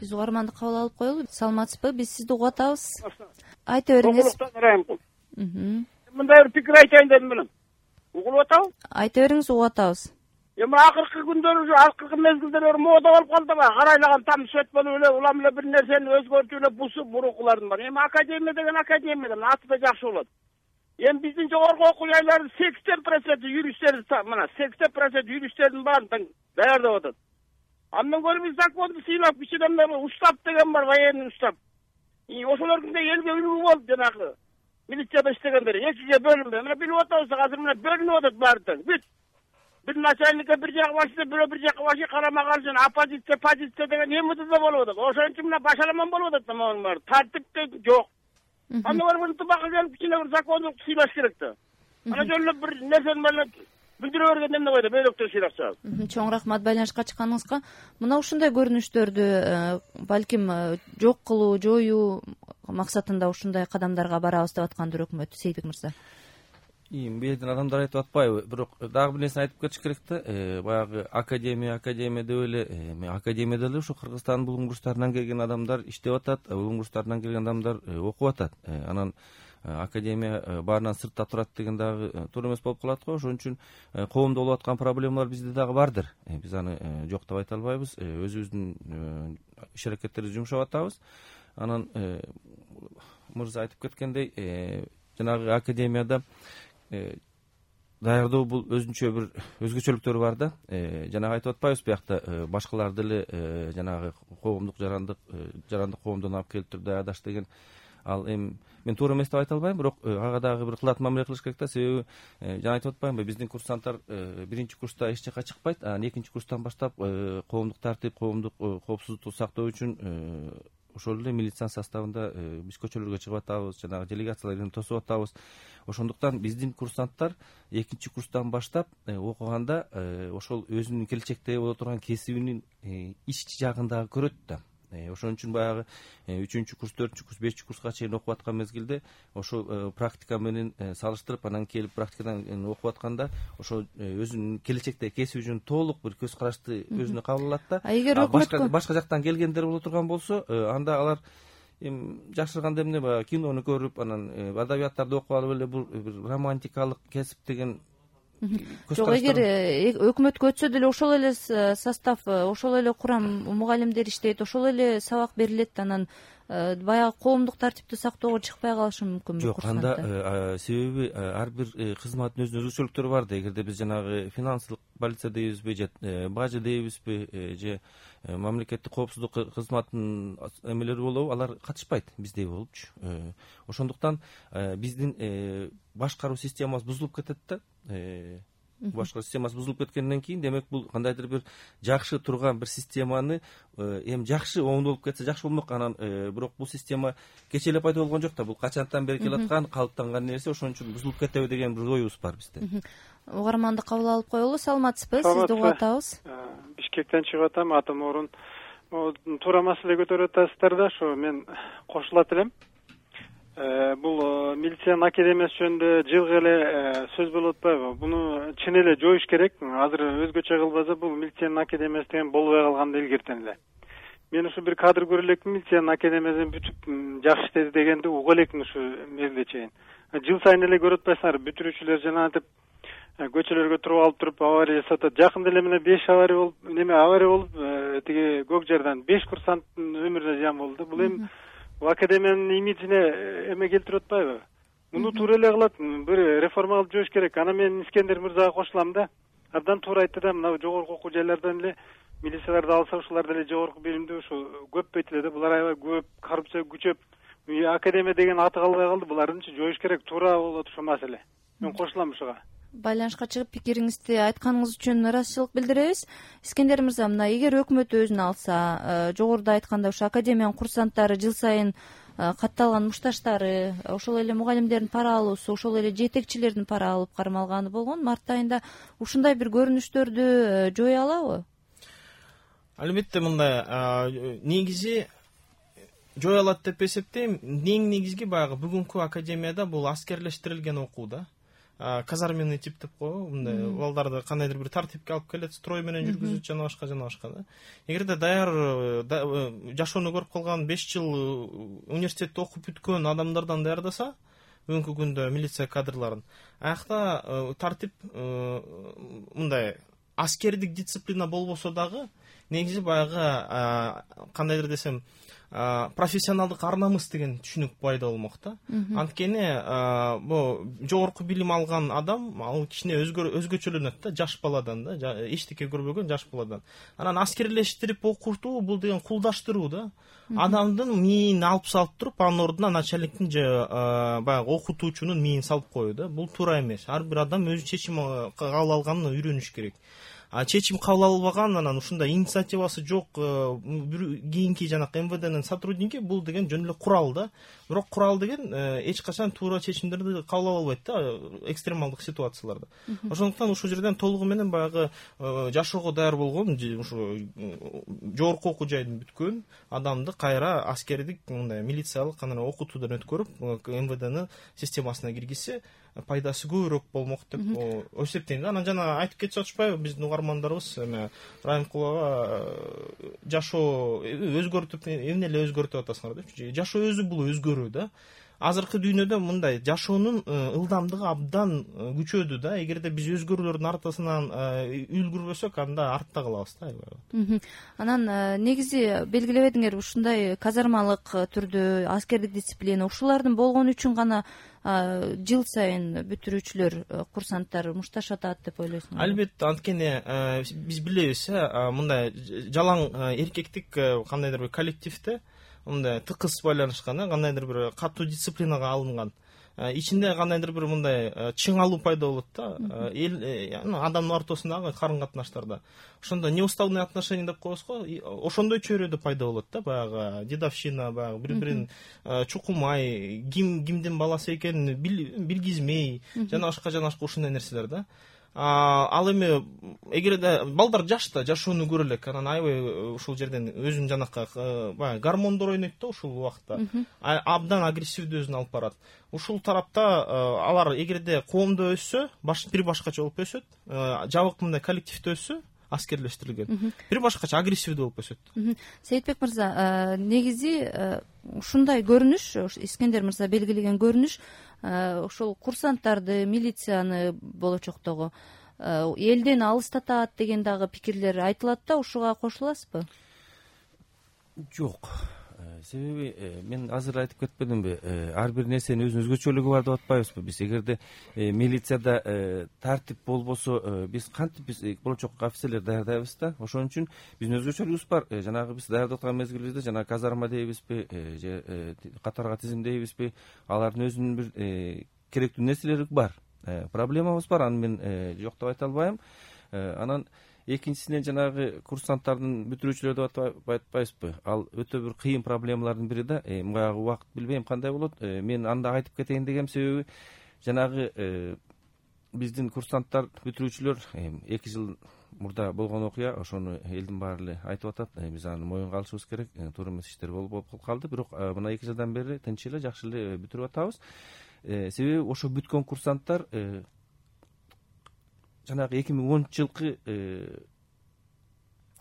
Биз угарманды кабыл алып коелу. Саламатсызбы? Биз сизди угуп атабыз. Айта бериңиз. Мындай бир пикир айтайын дедим элем. Угулуп атабы? Айта бериңиз, угуп атабыз. Эми акыркы күндөр, акыркы мезгилдер мода болуп калдыбы? Карайлаган там сөт болуп эле, улам эле бир нерсени өзгөртүп эле бусуп бурукулардын бар. Эми академия деген аты да жакшы болот. Эми биздин жогорку окуу жайлардын 80% юристтер, мына 80% юристтердин баарын даярдап атат. Андан көрө биз законду сыйлап, кичинемде устав деген бар, военный устав. Ошолордун да элге үлгү болуп жанагы милицияда иштегендер экиге бөлүнбөй. Мына билип атабыз, азыр мына бөлүнүп атат баары тең. Бүт. Бир начальникке бир жак башчы, бирөө бир жакка башчы, карама каршы оппозиция, позиция деген эмеде да болуп атат. Ошон үчүн мына башаламан болуп атат да могу баары. Тартип да жок. Андан көрө ынтымакка келип кичине бир закондук сыйлаш керек да. Ана жөн эле бир нерсени менен билдире бергенде эмне койду, бөйрөктөр сыйлап чыгат. Чоң рахмат байланышка чыкканыңызга. Мына ушундай көрүнүштөрдү балким жок кылуу, жоюу максатында ушундай кадамдарга барабыз деп аткандыр өкмөт, Сейдик мырза. Бирден адамдар айтып атпайбы, бирок дагы бир нерсени айтып кетиш керек да. Баягы академия деп эле, академияда эле ушу Кыргызстандын булуң бурчтарынан келген адамдар иштеп атат, булуң бурчтарынан келген адамдар окуп атат. Анан академия баарынан сыртта турат деген дагы туура эмес болуп калат го. Ошон үчүн коомдо болуп аткан проблемалар бизде дагы бардыр. Биз аны жок деп айта албайбыз. Өзүбүздүн иш аракеттерибизди жумшап атабыз. Анан мырза айтып кеткендей, жанагы академияда даярдоо бул өзүнчө бир өзгөчөлүктөрү бар да. Жанагы айтып атпайбыз биякта башкалар деле жанагы коомдук жарандык коомдон алып келип туруп даярдаш деген. Ал эми мен туура эмес деп айта албайм, бирок ага дагы бир кылат мамиле кылыш керек да. Себеби жана айтып атпаймынбы, биздин курсанттар биринчи курста эч жакка чыкпайт, анан экинчи курстан баштап коомдук тартип, коомдук коопсуздукту сактоо үчүн ошол эле милициянын составында биз көчөлөргө чыгып атабыз, жанагы делегацияларды тосуп атабыз. Ошондуктан биздин курсанттар экинчи курстан баштап окуганда ошол өзүнүн келечекте боло турган кесибинин ич жагын дагы көрөт да. Ошон үчүн баягы 3-чү курс, 4-чү курс, 5-чү курска чейин окуп аткан мезгилде ошол практика менен салыштырып, анан келип практикадан окуп атканда ошол өзүнүн келечекте кесиби үчүн толук бир көз карашты өзүнө кабыл алат да. Эгер башка жактан келгендер боло турган болсо, анда алар жакшырганда эмне, баягы кинону көрүп, анан адабияттарды окуп алып эле бул бир романтикалык кесип деген. Жок, эгер өкмөткө өтсө деле ошол эле состав, ошол эле курам мугалимдер иштейт, ошол эле сабак берилет, анан баягы коомдук тартипти сактоого чыкпай калышы мүмкүнбү? Жок, анда себеби ар бир кызматтын өзүнүн өзгөчөлүктөрү бар да. Эгерде биз жанагы финансылык полиция дейбизби, же бажы дейбизби, же мамлекеттик коопсуздук кызматынын эмелери болобу, алар катышпайт биздей болупчу. Ошондуктан биздин башкаруу системабыз бузулуп кетет да. Башкаруу системасы бузулуп кеткенден кийин, демек бул кандайдыр бир жакшы турган бир системаны эми жакшы оңдолуп кетсе жакшы болмок. Анан бирок бул система кечээ эле пайда болгон жок да. Бул качантан бери келаткан, калыптанган нерсе. Ошон үчүн бузулуп кетеби деген бир оюбуз бар бизде. Угарманды кабыл алып коелу. Саламатсызбы? Сизди угуп атабыз. Бишкектен чыгып атам. Атым Орун. Туура маселе көтөрүп атасыздар да. Ошо мен кошулат элем. Бул милициянын академиясы жөнүндө жылгы эле сөз болуп атпайбы? Буну чын эле жоюш керек. Азыр өзгөчө кылбаса бул милициянын академиясы деген болбой калганды илгертен эле. Мен ушу бир кадр көрө элекмин, милициянын академиясын бүтүп жакшы иштеди дегенди уга элекмин ушу мезгилге чейин. Жыл сайын эле көрүп атпайсыңарбы? Бүтүрүүчүлөр жанагынтип көчөлөргө туруп алып туруп авария жасап атат. Жакында эле мына 5 авария болуп, тиги Көк Жардан 5 курсанттын өмүрүнө зыян болду. Бул эми академиянын имиджине эме келтирип атпайбы? Муну туура эле кылат, бир реформа кылып жоош керек. Ана мен Искендер мырзага кошулам да. Абдан туура айтты да, мына жогорку окуу жайлардан эле милицияларды алса, ушулар деле жогорку билимдүү, ушу көппөйт эле да. Булар аябай көп, коррупция күчөп, академия деген аты калбай калды. Булардынчы жоош керек, туура болот ушул маселе. Мен кошулам ушуга. Байланышка чыгып пикириңизди айтканыңыз үчүн ыраазычылык билдиребиз. Искендер мырза, мына эгер өкмөт өзүнө алса, жогоруда айтканда ушу академиянын курсанттары жыл сайын катталган мушташтары, ошол эле мугалимдердин пара алуусу, ошол эле жетекчилердин пара алып кармалганы болгон. Март айында ушундай бир көрүнүштөрдү жое алабы? Албетте мындай негизи жое алат деп эсептейм. Негизги баягы бүгүнкү академияда бул аскерлештирилген окуу да. казарменный тип деп коебу, мындай балдарды кандайдыр бир тартипке алып келет, строй менен жүргүзөт, жана башка да. Эгерде даяр жашоону көрүп калган 5 жыл университетте окуп бүткөн адамдардан даярдаса, бүгүнкү күндө милиция кадрларын, аякта тартип мындай аскердик дисциплина болбосо дагы, негизи баягы кандайдыр десем профессионалдык ар намыс деген түшүнүк пайда болмок да. Анткени бул жогорку билим алган адам ал кичине өзгөчөлөнөт да, жаш баладан да, эчтеке көрбөгөн жаш баладан. Анан аскерлештирип окутуу бул деген кулдаштыруу да. Адамдын мээни алып салып туруп, анын ордуна начальниктин же баягы окутуучунун мээни салып коюу да. Бул туура эмес. Ар бир адам өз чечим кабыл алганын үйрөнүш керек. Чечим кабыл албаган, анан ушундай инициативасы жок кийинки жанакы МВДнын сотрудники, бул деген жөн эле курал да. Бирок курал деген эч качан туура чечимдерди кабыл ала албайт да, экстремалдык ситуацияларда. Ошондуктан ушул жерден толугу менен баягы жашоого даяр болгон, ушу жогорку окуу жайын бүткөн адамды кайра аскердик мындай милициялык анан окутуудан өткөрүп МВДнын системасына киргизсе, пайдасы көбүрөөк болмок деп эсептейм. Анан жана айтып кетип атышпайбы биздин угармандарыбыз, эме Райымкулова жашоо өзгөртүп, эмне эле өзгөртүп атасыңар депчи. Жашоо өзү бул өзгөрүү да. Азыркы дүйнөдө мындай жашоонун ылдамдыгы абдан күчөдү да. Эгерде биз өзгөрүүлөрдүн артасынан үлгүрбөсөк, анда артта калабыз да. Анан негизи белгилебедиңер, ушундай казармалык түрдө аскердик дисциплина ушулардын болгону үчүн гана жыл сайын бүтүрүүчүлөр, курсанттар мушташатат деп ойлойсуңарбы? Албетте, анткени биз билебиз, мындай жалаң эркектик кандайдыр бир коллективде мындай тыкыз байланышкан, кандайдыр бир катуу дисциплинага алынган. Ичинде кандайдыр бир мындай чыңалуу пайда болот да, адамдын ортосундагы карым катнаштарда. Ошондо неуставный отношения деп коебуз го, ошондой чөйрөдө пайда болот да, баягы дедовщина, баягы бири-бирин чукумай, кимдин баласы экенин билгизмей, жана башка ушундай нерселер да. Ал эми эгерде балдар жашта жашоону көрө элек, анан аябай ушул жерден өзүнүн жанакы баягы гормондор ойнойт да ушул убакта. Абдан агрессивдүү өзүн алып барат. Ушул тарапта алар эгерде коомдо өссө, бир башкача болуп өсөт, жабык мындай коллективде өссө, аскерлештирилген, бир башкача агрессивдүү болуп өсөт. Сейитбек мырза, негизи ушундай көрүнүш, Искендер мырза белгилеген көрүнүш, ошол курсанттарды, милицияны болочоктогу элден алыстатат деген дагы пикирлер айтылат да, ушуга кошуласызбы? Жок. Себеби мен азыр айтып кетпедимби, ар бир нерсенин өзүнүн өзгөчөлүгү бар деп атпайбызбы биз. Эгерде милицияда тартип болбосо, биз кантип биз болочок офицерлер даярдайбыз да. Ошон үчүн биздин өзгөчөлүгүбүз бар. Жанагы биз даярдап аткан мезгилибизде жана казарма дейбизби, же катарга тизимдейбизби, алардын өзүнүн бир керектүү нерселери бар. Проблемабыз бар, аны мен жок деп айта албайм. Анан экинчисинен жанагы курсанттардын бүтүрүүчүлөр деп айтпайбызбы, ал өтө бир кыйын проблемалардын бири да. Баягы убакыт билбейм кандай болот. Мен анда айтып кетейин дегем себеби, жанагы биздин курсанттар, бүтүрүүчүлөр 2 жыл мурда болгон окуя, ошону элдин баары эле айтып атат. Биз аны моюнга алышыбыз керек. Туура эмес иштер болуп калды, бирок мына 2 жылдан бери тынч эле, жакшы эле бүтүрүп атабыз. Себеби ошо бүткөн курсанттар жанагы 2010-жылкы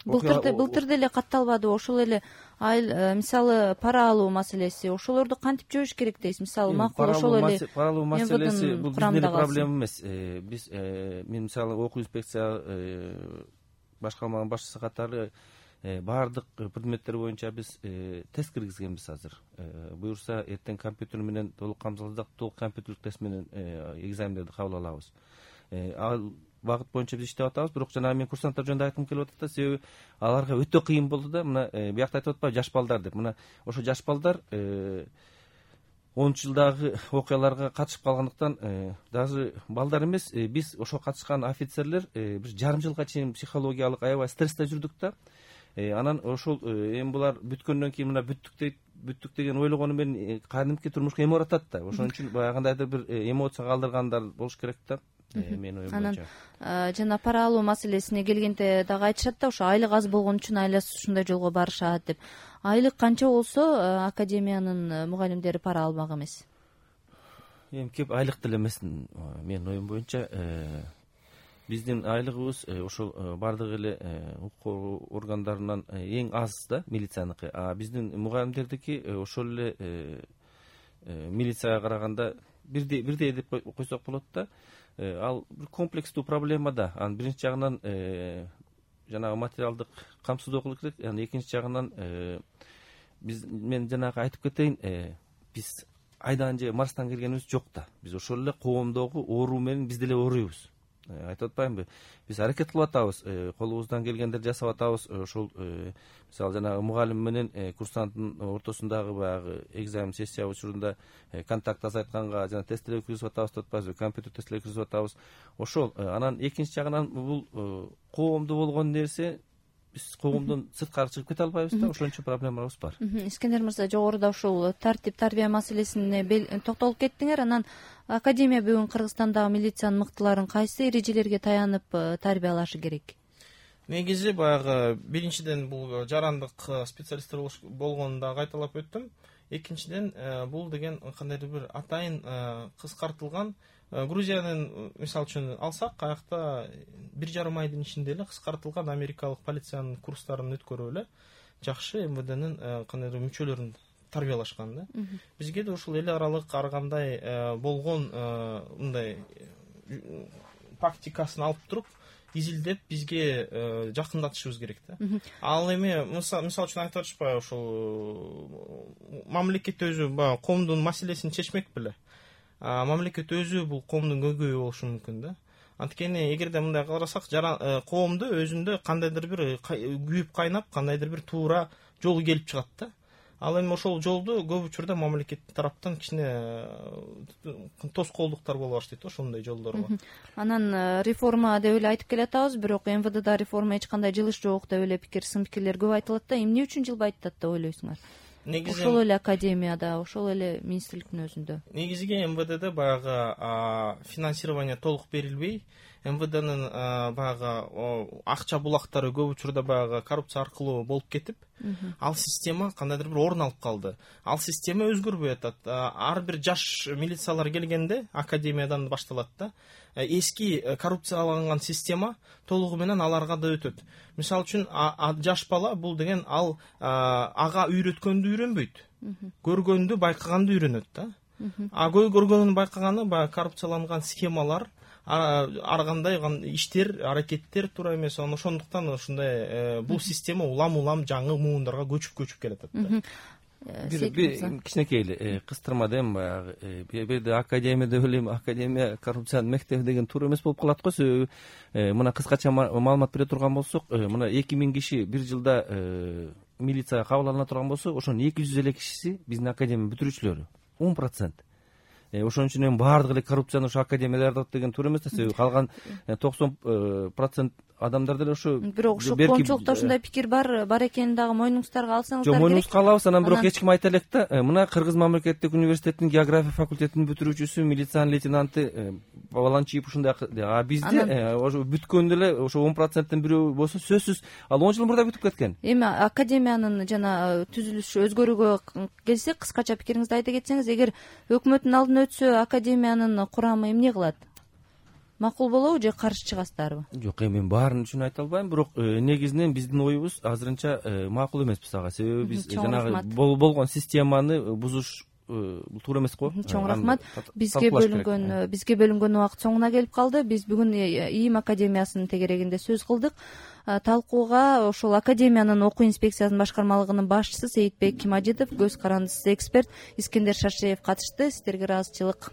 былтыр деле катталбады. Ошол эле мисалы пара алуу маселеси, ошолорду кантип жөөш керек дейсиз? Мисалы макул ошол эле пара алуу маселеси бул биздин эле проблема эмес. Биз мен мисалы окуу инспекция башкарманын башчысы катары баардык предметтер боюнча биз тест киргизгенбиз азыр. Буюрса эртең компьютер менен толук камтылсак, толук компьютерлик тест менен экзамендерди кабыл алабыз. Ал багыт боюнча биз иштеп атабыз, бирок жана мен курсанттар жөнүндө айткым келип атат да, себеби аларга өтө кыйын болду да. Мына биякта айтып атпайбы, жаш балдар деп. Мына ошо жаш балдар 10 жылдагы окуяларга катышып калгандыктан, даже балдар эмес, биз ошо катышкан офицерлер бир жарым жылга чейин психологиялык аябай стрессте жүрдүк да. Анан ошол эми булар бүткөндөн кийин мына бүттүк деген ойлогону менен кадимки турмушка эме баратат да. Ошон үчүн баягындайдыр бир эмоция калтыргандар болуш керек да. Мен оюм боюнча. Анан жана пара алуу маселесине келгенде дагы айтышат да, ошо айлык аз болгон үчүн айласы ушундай жолго барышат деп. Айлык канча болсо академиянын мугалимдери пара алмак эмес? эми кеп айлык деле эмес, менин оюм боюнча биздин айлыгыбыз ошол баардык эле укук органдарынан эң аз да, милицияныкы. А биздин мугалимдердики ошол эле милицияга караганда бирдей деп койсок болот да. Ал бир комплекстүү проблема да. Анын биринчи жагынан жанагы материалдык камсыздоо кылыш керек. Анан экинчи жагынан мен жанагы айтып кетейин, биз айдан же Марстан келгенибиз жок да. Биз ошол эле коомдогу оору менен биз деле ооруйбуз. Айтып атпаймынбы? Биз аракет кылып атабыз, колубуздан келгендерди жасап атабыз. Ошол мисалы жанагы мугалим менен курсанттын ортосундагы баягы экзамен сессия учурунда контакт азайтканга жана тесттер өткүзүп атабыз деп атпайбызбы, компьютер тесттер өткүзүп атабыз. Ошол анан экинчи жагынан бул коомдо болгон нерсе, биз коомдон сырткары чыгып кете албайбыз да, ошон үчүн проблемабыз бар. Искендер мырза, жогоруда ушул тартип тарбия маселесине токтолуп кеттиңер. Анан академия бүгүн Кыргызстандагы милициянын мыктыларын кайсы эрежелерге таянып тарбиялашы керек? Негизи баягы биринчиден бул жарандык специалисттер болгонун да кайталап өттүм. Экинчиден бул деген кандайдыр бир атайын кыскартылган, Грузиянын мисалы үчүн алсак, аякта 1,5 айдын ичинде эле кыскартылган америкалык полициянын курстарын өткөрүп эле жакшы МВДнын кандайдыр мүчөлөрүн тарбиялашкан да. Бизге да ушул эл аралык ар кандай болгон мындай практикасын алып туруп изилдеп бизге жакындатышыбыз керек да. Ал эми мисалы үчүн айтып атышпайбы, ушул мамлекет өзү баягы коомдун маселесин чечмек беле. Мамлекет өзү бул коомдун көйгөйү болушу мүмкүн да. Анткени эгерде мындай карасак, коомдо өзүндө кандайдыр бир күйүп кайнап, кандайдыр бир туура жол келип чыгат да. Ал эми ошол жолду көп учурда мамлекет тараптан кичине тоскоолдуктар боло баштайт ошондой жолдорго. Анан реформа деп эле айтып келатабыз, бирок МВДда реформа эч кандай жылыш жок деп эле сын пикирлер көп айтылат да. Эмне үчүн жылбайт деп ойлойсуңар? Негизи ошол эле академияда, ошол эле министрликтин өзүндө. Негизиги МВДде баягы финансирование толук берилбей, МВДнын баягы акча булактары көп учурда баягы коррупция аркылуу болуп кетип, ал система кандайдыр бир орун алып калды. Ал система өзгөрбөй атат. Ар бир жаш милициялар келгенде академиядан башталат да. Эски коррупцияланган система толугу менен аларга да өтөт. Мисалы үчүн жаш бала бул деген ал ага үйрөткөндү үйрөнбөйт. Көргөндү, байкаганды үйрөнөт да. Көргөнүн байкаганы баягы коррупцияланган схемалар, ар кандай иштер, аракеттер туура эмес. Ошондуктан ушундай бул система улам жаңы муундарга көчүп келатат да. Бир кичинекей эле кыстырма дейм, баягы бирде академия деп элем, академия коррупциянын мектеби деген туура эмес болуп калат го. Себеби мына кыскача маалымат бере турган болсок, мына 2000 киши бир жылда милицияга кабыл алына турган болсо, ошонун 200 эле кишиси биздин академия бүтүрүүчүлөрү, 10%. Ошон үчүн эми баардык эле коррупцияны ошо академияда даярдап деген туура эмес да. Себеби калган 90% адамдар деле ошо. Бирок ушул коомчулукта ушундай пикир бар экенин дагы мойнуңуздарга алсаңыздар керек. Жок, мойнуңузга алабыз. Анан бирок эч ким айта элек да. Мына Кыргыз мамлекеттик университетинин география факультетинин бүтүрүүчүсү, милициянын лейтенанты Баланчиев ушундай. Бизде ошо бүткөндө эле ошо 10%тен бирөө болсо сөзсүз ал 10 жыл мурда бүтүп кеткен. Эми академиянын жана түзүлүшү өзгөрүүгө келсек, кыскача пикириңизди айта кетсеңиз, эгер өкмөттүн алдына өтсө, академиянын курамы эмне кылат? Макул болобу же каршы чыгасыздарбы? Жок, мен баарын үчүн айта албайм, бирок негизинен биздин оюбуз азырынча макул эмеспиз ага. Себеби биз жанагы болгон системаны бузуш бул туура эмес го. Чоң рахмат. Бизге бөлүнгөн убакыт соңуна келип калды. Биз бүгүн ИИМ академиясынын тегерегинде сөз кылдык. Талкууга ошол академиянын окуу инспекциясынын башкармалыгынын башчысы Сейитбек Мажидов, көз карандысыз эксперт Искендер Шашеев катышты. Сиздерге ыраазычылык.